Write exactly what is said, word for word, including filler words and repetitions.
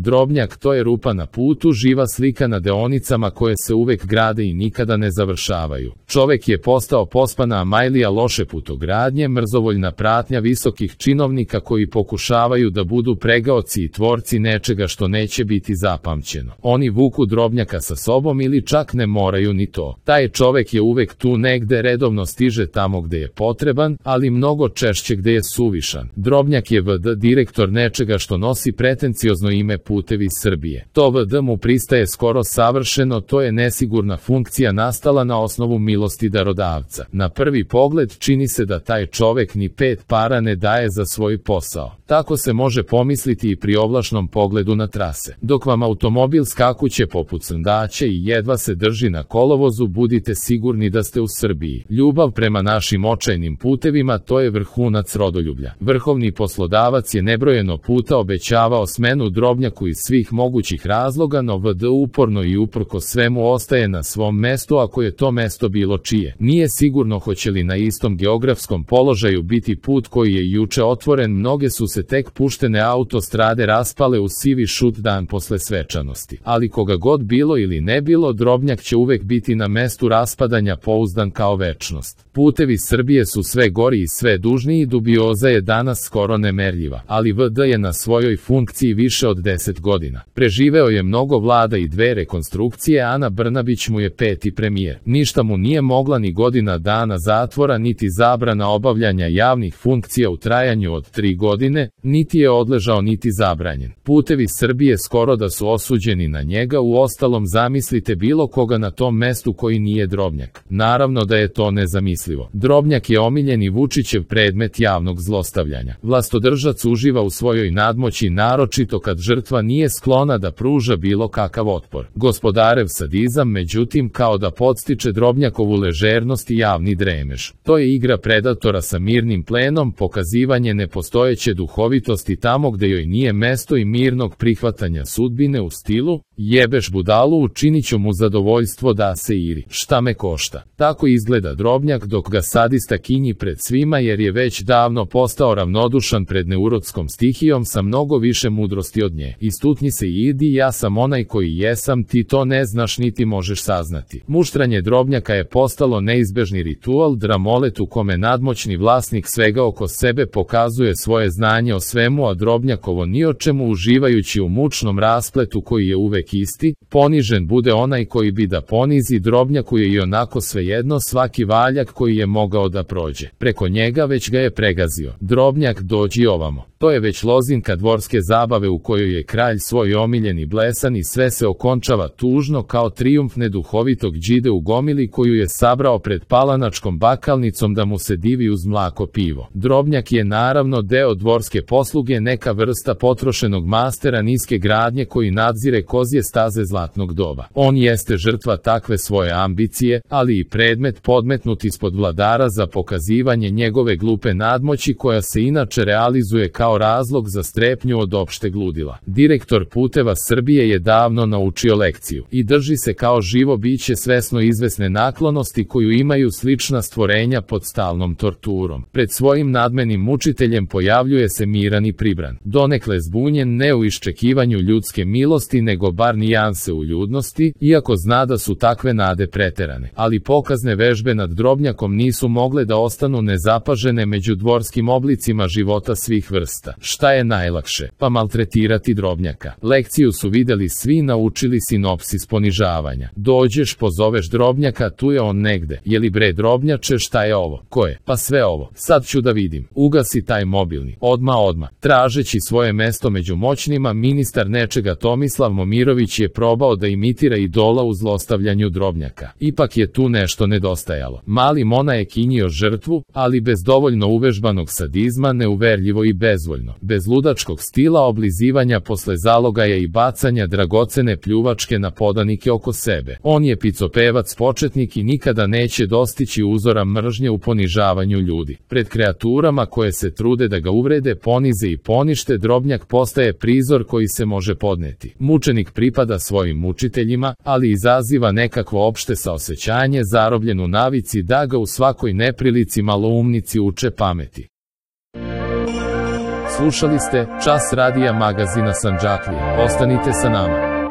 Drobnjak to je rupa na putu, živa slika na deonicama koje se uvek grade i nikada ne završavaju. Čovek je postao pospana amajlija loše putogradnje, mrzovoljna pratnja visokih činovnika koji pokušavaju da budu pregaoci i tvorci nečega što neće biti zapamćeno. Oni vuku Drobnjaka sa sobom ili čak ne moraju ni to. Taj čovek je uvek tu negde, redovno stiže tamo gde je potreban, ali mnogo češće gde je suvišan. Drobnjak je v d direktor nečega što nosi pretenciozno ime Putevi Srbije. To v d mu pristaje skoro savršeno, to je nesigurna funkcija nastala na osnovu milosti darodavca. Na prvi pogled čini se da taj čovek ni pet para ne daje za svoj posao. Tako se može pomisliti i pri ovlašnom pogledu na trase. Dok vam automobil skakuće poput srndaća i jedva se drži na kolovozu, budite sigurni da ste u Srbiji. Ljubav prema našim očajnim putevima, to je vrhunac rodoljublja. Vrhovni poslodavac je nebrojeno puta obećavao smenu Drobnjaku iz svih mogućih razloga, no v d uporno i uprko svemu ostaje na svom mestu, ako je to mesto bilo čije. Nije sigurno hoće li na istom geografskom položaju biti put koji je juče otvoren, mnoge su se tek puštene autostrade raspale u sivi šut dan posle svečanosti. Ali koga god bilo ili ne bilo, Drobnjak će uvek biti na mestu raspadanja, pouzdan kao večnost. Putevi Srbije su sve gori i sve dužniji, dubioza je danas skoro nemerljiva, ali v d je na svojoj funkciji više od deset godina. Preživeo je mnogo vlada i dve rekonstrukcije, Ana Brnabić mu je peti premijer. Ništa mu nije mogla ni godina dana zatvora, niti zabrana obavljanja javnih funkcija u trajanju od tri godine, niti je odležao niti zabranjen. Putevi Srbije skoro da su osuđeni na njega, uostalom zamislite bilo koga na tom mestu koji nije Drobnjak. Naravno da je to nezamislivo. Drobnjak je omiljeni Vučićev predmet javnog zlostavljanja. Vlastodržac uživa u svojoj nadmoći, naročito kad žrtva nije sklona da pruža bilo kakav otpor. Gospodarev sadizam, međutim, kao da podstiče Drobnjakovu ležernost i javni dremež. To je igra predatora sa mirnim plenom, pokazivanje nepostojeće duhovitosti tamo gde joj nije mesto i mirnog prihvatanja sudbine u stilu jebeš budalu, učinit ću mu zadovoljstvo da se iri, šta me košta. Tako izgleda Drobnjak dok ga sadista kinji pred svima, jer je već davno postao ravnodušan pred neurotskom stihijom sa mnogo više mudrosti od nje. Istutnji se i idi, ja sam onaj koji jesam, ti to ne znaš niti možeš saznati. Muštranje Drobnjaka je postalo neizbežni ritual, dramolet u kome nadmoćni vlasnik svega oko sebe pokazuje svoje znanje o svemu, a Drobnjakovo ni o čemu, uživajući u mučnom raspletu koji je uvek isti. Ponižen bude onaj koji bi da ponizi, Drobnjaku je i onako svejedno, svaki valjak koji je mogao da prođe preko njega već ga je pregazio. Drobnjak, dođi ovamo. To je već lozinka dvorske zabave u kojoj je kralj svoj omiljeni blesan i sve se okončava tužno kao trijumf neduhovitog đide u gomili koju je sabrao pred palanačkom bakalnicom da mu se divi uz mlako pivo. Drobnjak je naravno deo dvorske posluge, neka vrsta potrošenog mastera niske gradnje koji nadzire kozje staze zlatnog doba. On jeste žrtva takve svoje ambicije, ali i predmet podmetnut ispod vladara za pokazivanje njegove glupe nadmoći koja se inače realizuje kao razlog za strepnju od opšteg ludila. Direktor Puteva Srbije je davno naučio lekciju i drži se kao živo biće svesno izvesne naklonosti koju imaju slična stvorenja pod stalnom torturom. Pred svojim nadmenim mučiteljem pojavljuje se miran i pribran, donekle zbunjen, ne u iščekivanju ljudske milosti nego bar nijanse u ljudnosti, iako zna da su takve nade preterane. Ali pokazne vežbe nad Drobnjakom nisu mogle da ostanu nezapažene među dvorskim oblicima života svih vrsta. Šta je najlakše? Pa maltretirati Drobnjaka. Lekciju su videli svi, naučili sinopsis ponižavanja. Dođeš, pozoveš Drobnjaka, tu je on negde. Je li bre Drobnjače, šta je ovo? Ko je? Pa sve ovo. Sad ću da vidim. Ugasi taj mobilni. Odma odma. Tražeći svoje mesto među moćnima, ministar nečega Tomislav Momirović je probao da imitira idola u zlostavljanju Drobnjaka. Ipak je tu nešto nedostajalo. Mali Mona je kinjio žrtvu, ali bez dovoljno uvežbanog sadizma, neuverljivo i bezvoljno. Bez ludačkog stila oblizivanja posle zalogaja i bacanja dragocene pljuvačke na podanike oko sebe. On je picopevac početnik i nikada neće dostići uzora mržnje u ponižavanju ljudi. Pred kreaturama koje se trude da ga uvrede, ponize i ponište, Drobnjak postaje prizor koji se može podneti. Mučenik pripada svojim mučiteljima, ali izaziva nekakvo opšte saosećanje, zarobljen u navici da ga u svakoj neprilici maloumnici uče pameti. Slušali ste Čas radija magazina Sandžaklije. Ostanite sa nama.